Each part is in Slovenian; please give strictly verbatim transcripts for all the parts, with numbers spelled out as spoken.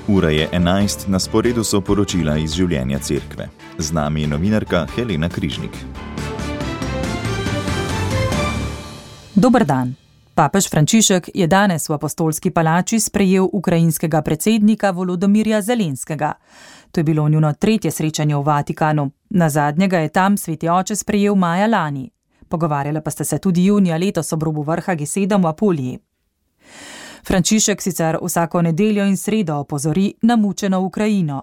Ura je enajst, na sporedu so poročila iz življenja cerkve. Z nami je novinarka Helena Križnik. Dober dan. Papež Frančišek je danes v Apostolski palači sprejel ukrajinskega predsednika Volodomirja Zelenskega. To je bilo njuno tretje srečanje v Vatikanu. Nazadnjega je tam sveti oče sprejel maja lani. Pogovarjala pa sta se tudi junija letos ob robu vrha G sedem v Apuliji. Frančišek sicer vsako nedeljo in sredo opozori na mučeno Ukrajino.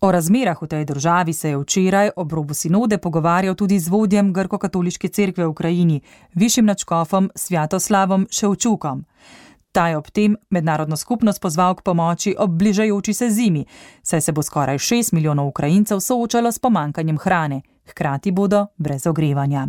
O razmerah v tej državi se je včeraj ob robu sinode pogovarjal tudi z vodjem grko-katoliške cerkve v Ukrajini, višjim nadškofom Svjatoslavom Ševčukom. Ta je ob tem mednarodno skupnost pozval k pomoči ob bližajoči se zimi, saj se bo skoraj šest milijonov Ukrajincev soočalo s pomanjkanjem hrane, hkrati bodo brez ogrevanja.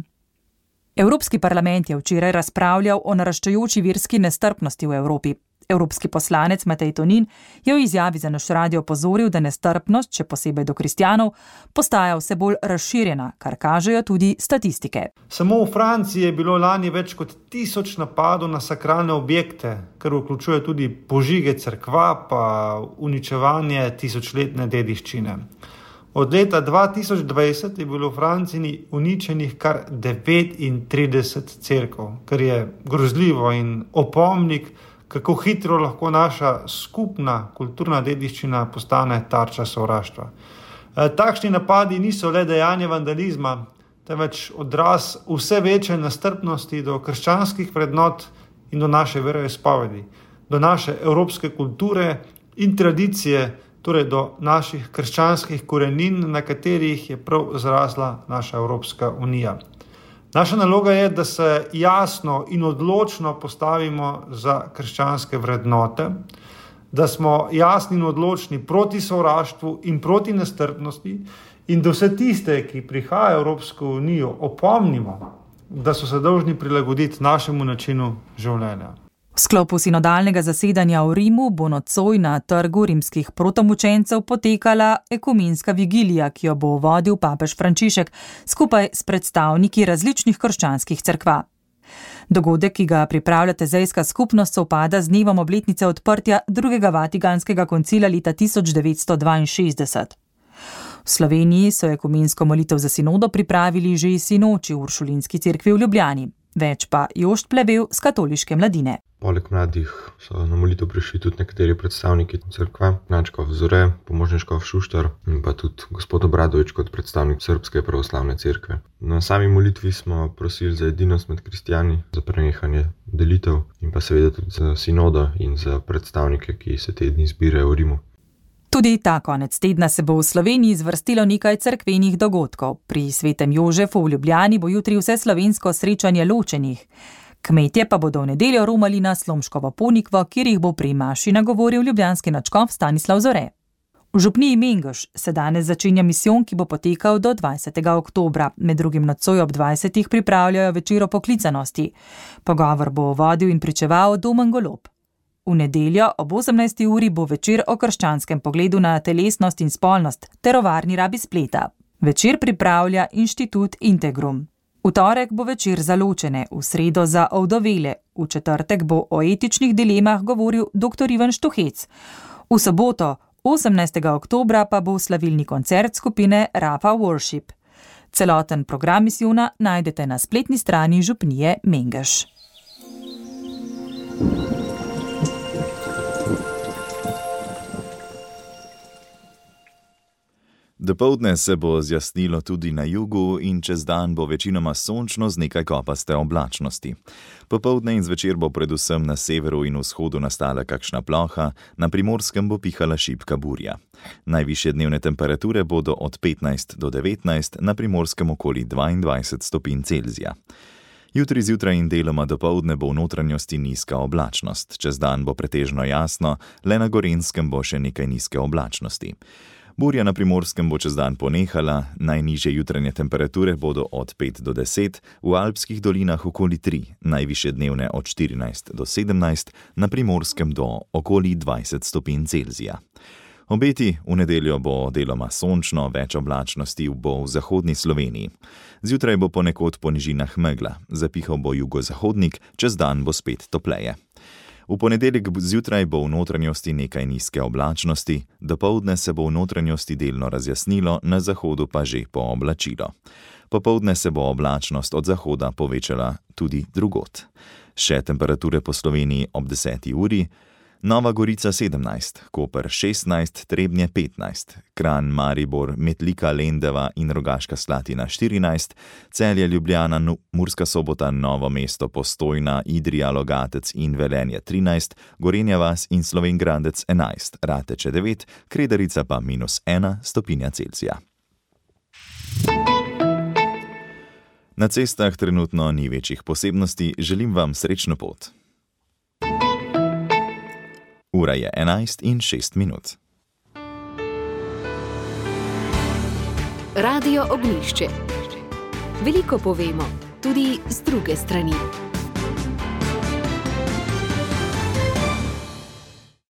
Evropski parlament je včeraj razpravljal o naraščajoči verski nestrpnosti v Evropi. Evropski poslanec Matej Tonin je v izjavi za naš radio opozoril, da nestrpnost, še posebej do kristjanov, postaja vse bolj razširjena, kar kažejo tudi statistike. Samo v Franciji je bilo lani več kot tisoč napadov na sakralne objekte, kar vključuje tudi požige cerkva pa uničevanje tisočletne dediščine. Od leta dva tisoč dvajset je bilo v Franciji uničenih kar devetintrideset cerkev, kar je grozljivo in opomnik, kako hitro lahko naša skupna kulturna dediščina postane tarča sovraštva. Takšni napadi niso le dejanje vandalizma, temveč odraz vse večje nestrpnosti do krščanskih vrednot in do naše veroizpovedi, do naše evropske kulture in tradicije, torej do naših krščanskih korenin, na katerih je prav zrasla naša Evropska unija. Naša naloga je, da se jasno in odločno postavimo za krščanske vrednote, da smo jasni in odločni proti sovraštvu in proti nestrpnosti in da vse tiste, ki prihajajo v Evropsko unijo, opomnimo, da so se dolžni prilagoditi našemu načinu življenja. V sklopu sinodalnega zasedanja v Rimu bo nocoj na trgu rimskih protomučencev potekala ekumenska vigilija, ki jo bo vodil papež Frančišek skupaj s predstavniki različnih krščanskih cerkva. Dogodek, ki ga pripravlja tezejska skupnost, sovpada z dnevom obletnice odprtja drugega Vatikanskega koncila leta tisoč devetsto dvainšestdeset. V Sloveniji so ekumensko molitev za sinodo pripravili že sinoči v Uršulinski cerkvi v Ljubljani. Več pa Jošt Plevel z katoliške mladine. Poleg mladih so na molitev prišli tudi nekateri predstavniki cerkve, Načkov Zore, pomožniškov Šuštar in pa tudi gospod Obradovič kot predstavnik Srpske pravoslavne cerkve. Na sami molitvi smo prosili za edinost med kristjani, za prenehanje delitev in pa seveda tudi za sinodo in za predstavnike, ki se te dni zbirajo v Rimu. Tudi ta konec tedna se bo v Sloveniji zvrstilo nekaj cerkvenih dogodkov. Pri Svetem Jožefu v Ljubljani bo jutri vse slovensko srečanje ločenih. Kmetje pa bodo v nedeljo romali na Slomškovo Ponikvo, kjer jih bo pri maši nagovoril ljubljanski nadškof Stanislav Zore. V župniji Mengeš se danes začenja misijon, ki bo potekal do dvajsetega oktobra. Med drugim nocoj ob dvajsetih pripravljajo večer o poklicanosti. Pogovor bo vodil in pričeval Domen Golob. V nedeljo ob osemnajsti uri bo večer o krščanskem pogledu na telesnost in spolnost ter o varni rabi spleta. Večer pripravlja Inštitut Integrum. V torek bo večer za ločene, v sredo za ovdovele, v četrtek bo o etičnih dilemah govoril dr. Ivan Štuhec. V soboto, osemnajstega oktobra, pa bo slavilni koncert skupine Rafa Worship. Celoten program misijona najdete na spletni strani župnije Mengeš. Dopoldne se bo zjasnilo tudi na jugu in čez dan bo večinoma sončno z nekaj kopaste oblačnosti. Popoldne in zvečer bo predvsem na severu in vzhodu nastala kakšna ploha, na Primorskem bo pihala šibka burja. Najvišje dnevne temperature bodo od petnajst do devetnajst, na Primorskem okoli dvaindvajset stopinj Celzija. Jutri zjutraj in deloma dopoldne bo v notranjosti nizka oblačnost. Čez dan bo pretežno jasno, le na Gorenjskem bo še nekaj nizke oblačnosti. Burja na Primorskem bo čez dan ponehala, najnižje jutranje temperature bodo od pet do deset, v alpskih dolinah okoli tri, najvišje dnevne od štirinajst do sedemnajst, na Primorskem do okoli dvajset stopinj Celzija. Obeti: v nedeljo bo deloma sončno, več oblačnosti bo v zahodni Sloveniji. Zjutraj bo ponekod po nižinah megla, zapihal bo jugozahodnik, čez dan bo spet topleje. V ponedeljek zjutraj bo v notranjosti nekaj nizke oblačnosti, dopoldne se bo v notranjosti delno razjasnilo, na zahodu pa že pooblačilo. Popoldne se bo oblačnost od zahoda povečala tudi drugod. Še temperature po Sloveniji ob deseti uri: Nova Gorica sedemnajst, Koper šestnajst, Trebnje petnajst, Kranj, Maribor, Metlika, Lendava in Rogaška Slatina štirinajst, Celje, Ljubljana, Murska Sobota, Novo mesto, Postojna, Idrija, Logatec in Velenje trinajst, Gorenja vas in Slovenj Gradec enajst, Rateče devet, Kredarica pa minus ena stopinja Celzija. Na cestah trenutno ni večjih posebnosti, želim vam srečno pot. Ura je enajst in šest minut. Radio Ognjišče. Veliko povemo, tudi z druge strani.